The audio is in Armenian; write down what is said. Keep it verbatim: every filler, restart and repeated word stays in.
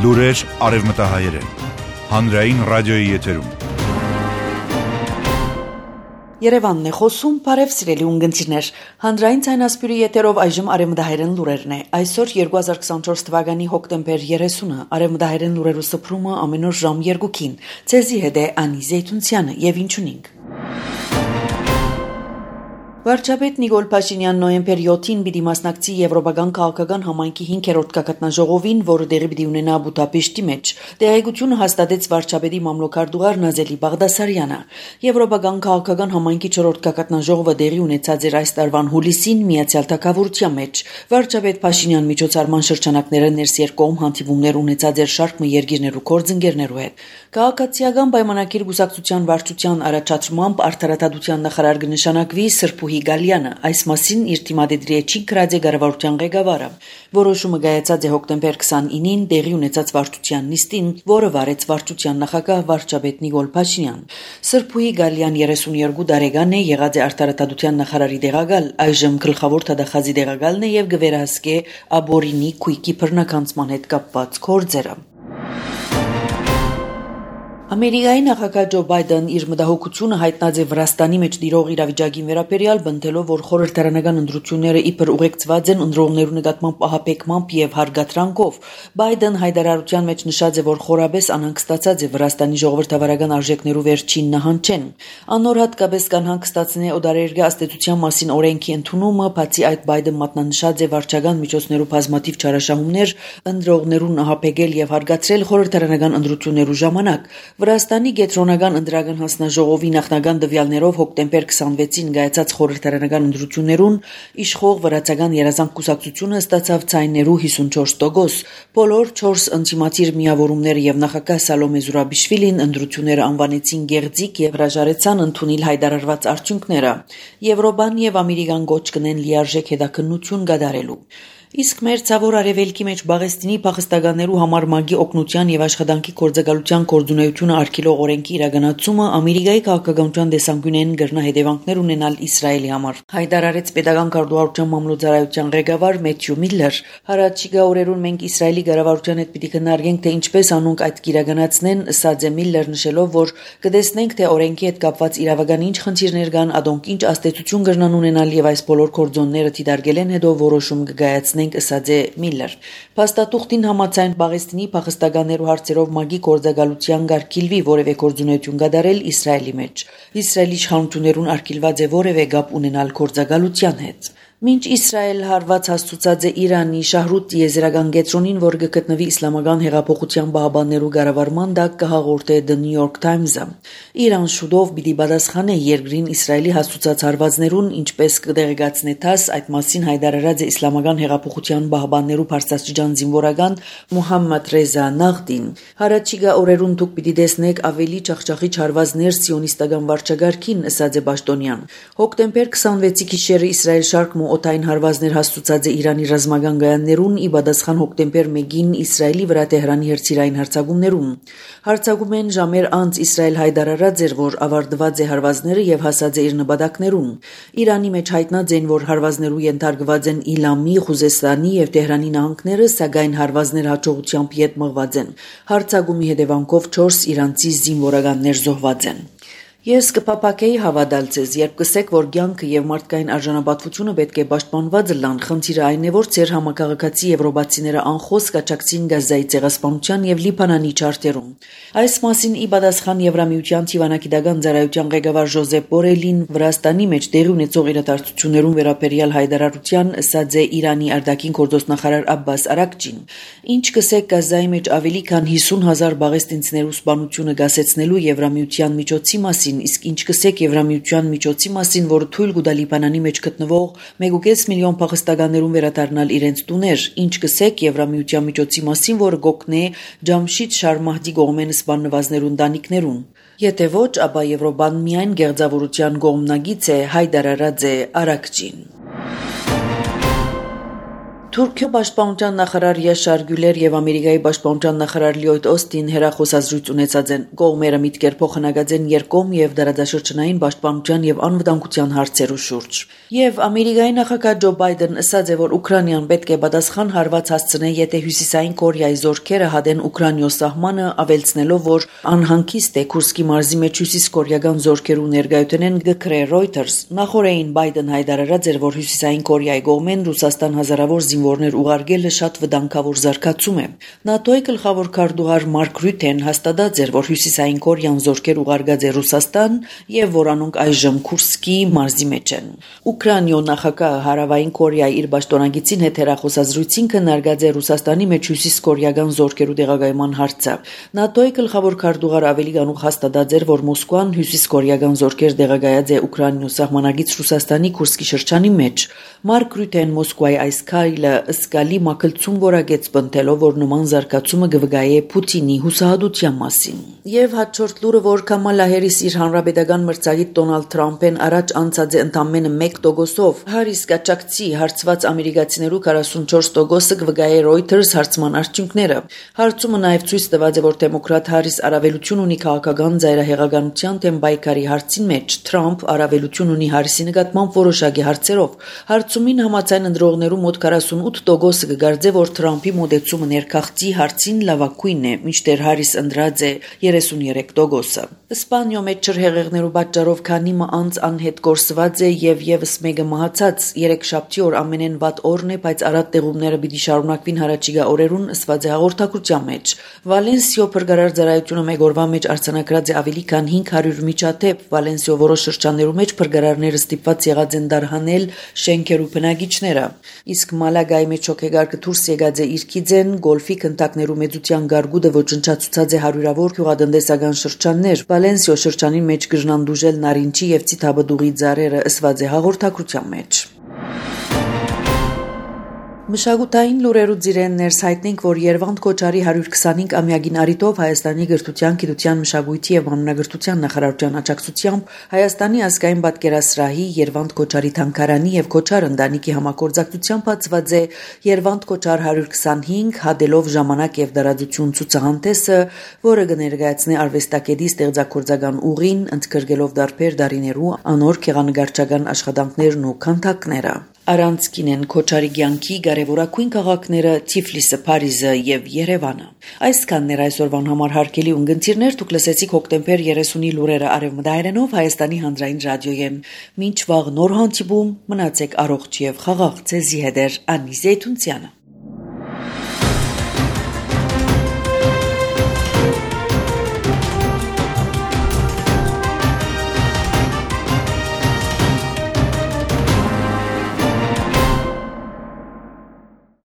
Լուրեր արևմտահայերեն, հանրային ռադիոյի եթերում։ Երևանն է խոսում, բարև սիրելի ունգընտիրներ, հանրային ցայնասպյուրի եթերով այժմ արևմտահայերեն լուրերն է։ Այսօր երկու հազար քսանչորս թվականի հոկտեմբեր երեսունը, արևմտահայերեն լուրերու սփռումը ամեն օր ժամ երկուքին։ Ցեզի հետ է Անի Զեյթունցյանը եւ ինչ ունենք։ Վարչապետ Նիկոլ Փաշինյանն նոյեմբեր յոթին պիտի մասնակցի Եվրոպական քաղաքական համայնքի հինգերորդ գագաթնաժողովին, որը տեղի պիտի ունենա Բուդապեշտի մեջ։ Տեղեկությունը հաստատեց վարչապետի մամլոքարտուղար Նազելի Բաղդասարյանը։ Եվրոպական քաղաքական համայնքի չորրորդ գագաթնաժողովը տեղի ունեցած էր այս տարվան հուլիսին Միացյալ Թագավորության մեջ։ Վարչապետ Փաշինյան միջոցառման շրջանակները ներսերկողմ հանդիպումներ ունեցած էր շարք մը երկիրներու գործընկերներու հետ։ Քաղաքացիական պայմանագիր գուսակցության վարչության առաջադրմամբ արդարադատության նախարար կնշանակվի Սրբուհի Գալյանը, այս մասին իր թիմադեդրի էջին գրած է կառավարության ղեկավարը։ Որոշումը կայացած է հոկտեմբեր քսանինին տեղի ունեցած վարչության նիստին, որը վարեց վարչության նախագահ վարչապետ Նիկոլ Փաշինյան։ Սրբուհի Գալյան երեսունյոթ տարեկան է, եղած է արդարադատության նախարարի տեղակալ, այժմ գլխավոր թադախազի տեղակալն է եւ կվերահսկե Աբորինի քույկի բռնականցման հետ կապված գործերը։ Ամերիկայի նախագահ Ջո Բայդեն իր մտահոգությունը հայտնած է Վրաստանի մեջ տիրող իրավիճակին վերաբերյալ, բնտելով, որ խորհրդարանական ընտրությունները իբր ուղեկցված են ընտրողներու նկատմամբ ահապեկմամբ եւ հարգատրանքով։ Բայդեն հայտարարության մեջ նշած է, որ խորաբես անհանգստացած է Վրաստանի ժողովրդավարական արժեքներու վերջին նահանջեն։ Անոր հատկապես կանհանգստացնե օդարերգա աստեցության մասին օրենքի ընդունումը, բացի այդ Բայդեն մատնանշած է վարչական միջոցներու բազմաթիվ չարաշահումներ ընտրողներուն ահապեկել եւ հարգացրել խորհրդարանական ընտրություններու ժամանակ։ Վրաստանի Գետրոնական ընտրական հանձնաժողովի նախնական տվյալներով հոկտեմբեր քսանվեցին կայացած խորհրդարանական ընտրություններուն իշխող վրացական երազանք կուսակցությունը ստացավ ցայներու հիսունչորս տոկոս։ Բոլոր չորս ընդդիմադիր միավորումները եւ նախագահ Սալոմե Զուրաբիշվիլին ընտրությունները անվանեցին գեղձիկ եւ հրաժարեցան ընդունել հայտարարված արդյունքները։ Եվրոպան եւ Ամերիկան գոչ կնեն լիարժեք հետաքննություն կատարելու։ Իսկ մեր ցավոր արևելքի մեջ Բաղեստինի փախստականներու համար մագի օգնության եւ աշխատանքի գործակալության կորձունեությունը արգելող օրենքի իրականացումը Ամերիկայի քաղաքականության դեսանգյունեն գրնա հետևանքներ ունենալ Իսրայելի համար։ Հայտարարեց պետական կառավարության մամլոյցարայության ղեկավար Մեթյու Միլլեր։ Հարաճիգա օրերուն մենք Իսրայելի կառավարության հետ պիտի քննարկենք, թե ինչպես անոնք այդ կիրականացնեն, ըստ է Միլլեր նշելով, որ կտեսնենք, թե օրենքի հետ կապված իրավական ինչ խնդիրներ կան, ադոնք ինչ աստեցություն կրնան ունենալ եւ այս բոլոր կորձոնները դիտարկելեն հետո որոշում կգայացնեն ըստ է Միլլեր։ Փաստաթուղթին համաձայն Բաղեստինի փախստականներու հարցերով մագի գործակալության կարգիլվի որևէ գործունեություն կատարել Իսրայելի մեջ։ Իսրայելի իշխանություններուն արգելված է որևէ կապ ունենալ գործակալության հետ։ Մինչ Իսրայել հարված հաստուցած է Իրանի Շահրութ տիեզերական կենտրոնին, որ գտնվի իսլամական հեղափոխության պահապաններու կառավարման տակ, կհաղորդե The New York Times-ը։ Իրան շուտով պիտի պատասխանե երկրին Իսրայելի հաստուցած հարվածներուն, ինչպես կտեղեկացնե ԹԱՍ, այդ մասին հայտարարած է իսլամական հեղափոխության պահապաններու բարձրաստիճան զինվորական Մուհամմադ Ռեզա Նաղդին։ Հարաճիգա օրերուն դուք պիտի տեսնեք ավելի ճախճախիչ հարվածներ սիոնիստական վարչագարքին, ըստ է Պաշտոնյան։ Հոկտեմբեր քսանվեցի գիշերը Իսրայել շարք օտային հարվածներ հաստուցած է Իրանի ռազմական գայաններուն, ի պատասխան հոկտեմբեր մեկին Իսրայելի վրա Թեհրանի հրթիռային հարձակումներուն։ Հարձակումեն ժամեր անց Իսրայել հայտարարած էր, որ ավարտված է հարվածները եւ հասած է իր նպատակներուն։ Իրանի մեջ հայտնած են, որ հարվածներու ենթարկված են Իլամի, Խուզեստանի եւ Թեհրանի նահանգները, սակայն հարվածներ հաջողությամբ ետ մղված են։ Հարձակումի հետևանքով չորս իրանցի զինվորականներ զոհված են։ Ես կփափակեի հավատալ ցեզ, երբ կսեք, որ կյանքը եւ մարդկային արժանապատվությունը պետք է պաշտպանված լան, խնդիրը այն է, որ ձեր համակարգացի եվրոպացիները անխոս կաչակցին Գազայի ցեղասպանության եւ Լիբանանի չարտերում։ Այս մասին ի պատասխան Եվրամիության Թիվանագիտական ծառայության ղեկավար Ժոզեփ Բորելին Վրաստանի մեջ տեղի ունեցող իրադարձություններուն վերաբերյալ հայտարարության ըստ է Իրանի արտաքին գործոստնախարար Աբբաս Արաքչին։ Ինչ կսեք Գազայի մեջ ավելի քան հիսուն հազար բաղեստինցիներու սպանությունը գասեցնելու Եվրամիության միջոցի մասին, իսկ ինչ կսեք Եվրամիության միջոցի մասին, որը թույլ կտա Լիբանանի մեջ գտնվող մեկ ու կես միլիոն փախստականներուն վերադառնալ իրենց տուներ, ինչ կսեք Եվրամիության միջոցի մասին, որը կօգնե Ջամշիդ Շարմահդի կողմեն սպանվածներուն տանիքներուն։ Եթե ոչ, ապա Եվրոպան միայն գեղձավորության կողմնագից է, հայտարարած է Արաքչին։ Թուրքիո պաշտպանության նախարար Յաշար Գյուլեր եւ Ամերիկայի պաշտպանության նախարար Լյոյդ Օստին հեռախոսազրույց ունեցած են։ Կողմերը միտքեր փոխանակած են երկկողմ եւ դարաձաշրջանային պաշտպանության եւ անվտանգության հարցերու շուրջ։ Եվ Ամերիկայի նախագահ Ջո Բայդեն ասաց է, որ Ուկրաինան պետք է պատասխան հարված հասցնե, եթե Հյուսիսային Կորեայի զորքերը հադեն Ուկրաինիո սահմանը, ավելցնելով, որ անհանգիստ է Քուրսկի մարզի մեջ հյուսիսկորեական զորքերու ներկայությունեն գկրե Reuters։ Նախորդին Բայդեն հայտարարած էր, որ Հյուսիսային Կորեայի կողմեն Ռուսաստան հազարավոր զինվորներ ուղարկելը շատ վտանգավոր զարգացում է։ ՆԱՏՕ-ի գլխավոր քարտուղար Մարկ Ռյութեն հաստատած էր, որ Հյուսիսային Կորեան զորքեր ուղարկած է Ռուսաստան եւ որ անոնք այժմ Քուրսկի մարզի մեջ են։ Ուկրաինիո նախագահը Հարավային Կորեայի իր պաշտոնագիտին հետ հեռախոսազրույցին քննարկած է Ռուսաստանի մեջ հյուսիսկորեական զորքերու տեղակայման հարցը։ ՆԱՏՕ-ի գլխավոր քարտուղարը ավելի կանուխ հաստատած էր, որ Մոսկվան հյուսիսկորեական զորքեր տեղակայած է Ուկրաինիո սահմանագից Ռուսաստանի Քուրսկի շրջանի մեջ։ Մարկ Ռյութեն Մոսկվայի այս քայլը ըսկալի մակլցում որակեց բնտելով, որ նման զարգացումը կվգայե Պուտինի հուսահատության մասին։ Եվ հաջորդ լուրը, որ Կամալա Հարիս իր հանրապետական մրցակից Դոնալդ Թրամփեն առաջ անցած է ընդամենը մեկ տոկոսով, Հարիս կաճակցի հարցված ամերիկացիներու քառասունչորս տոկոսը կվգայե Reuters հարցման արդյունքները։ Հարցումը նաև ցույց տված է, որ դեմոկրատ Հարիս առավելություն ունի քաղաքական ծայրահեղականության թեմ բայկարի հարցին մեջ, Թրամփ առավելություն ունի Հարիսի նկատմամբ որոշակի հարցերով։ Հարցումին համաձայն ընտրողներու մոտ քառասունութ տոկոսը կգարձե, որ Թրամփի մոտեցումը ներքաղցի հարցին լավագույնն է, մինչդեռ Հարիս ընտրած է երեսունյերեք տոկոսը։ Իսպանիո մեջ ջրհեղեղներու պատճառով քանի մը անց անհետ կորսված է եւ եւս մեկը մահացած։ Երեքշաբթի օր ամենեն վատ օրն է, բայց առատ տեղումները պիտի շարունակվին հարաճիգա օրերուն, ըսված է հաղորդակցության մեջ։ Վալենսիո փրկարար ծառայությունը մեկ օրվա մեջ արձանագրած է ավելի քան հինգ հարյուր միջադեպ։ Վալենսիո որոշ շրջաններու մեջ փրկարարները ստիպված եղած են դարհանել շենքերու բնակիչները։ Իսկ Մալագայի մեջ հոգեգարկը դուրս եկած է իր քիձեն, գոլֆի քնտակներու մեծության գարգուդը ոչնչացուցած է հարյուրավոր գյուղատնտեսական շրջաններ։ Վալենսիո շրջանի մեջ գժնան դուժել նարինջի եւ ցիթաբդուղի ծառերը, ըսված է հաղորդակցության մեջ։ Մշակութային լուրերու ծիրեն ներս հայտնենք, որ Երվանդ Քոչարի հարյուր քսանհինգ ամյակին արիտով Հայաստանի գրթության, գիտության, մշակույթի եւ անունագրթության նախարարության աջակցությամբ Հայաստանի ազգային պատկերասրահի Երվանդ Քոչարի թանգարանի եւ Քոչար ընտանիքի համագործակցությամբ բացված է Երվանդ Քոչար հարյուր քսանհինգ հադելով ժամանակ եւ դարաձություն ցուցահանդեսը, որը կներկայացնի արվեստագետի ստեղծագործական ուղին, ընդգրկելով դարբեր դարիներու անոր քեղանկարչական աշխատանքներն ու քանդակները։ Առանցքին են Քոչարի կյանքի կարևորագույն քաղաքները Թիֆլիսը, Փարիզը եւ Երևանը։ Այսքանն էր այսօրվան համար հարգելի ունգընտիրներ, դուք լսեցիք հոկտեմբեր երեսունի լուրերը արևմտայերենով Հայաստանի հանրային ռադիոյեն։ Մինչ վաղ նոր հանդիպում, մնացեք առողջ եւ խաղաղ, ձեզի հետ է Անի Զեյթունցյանը։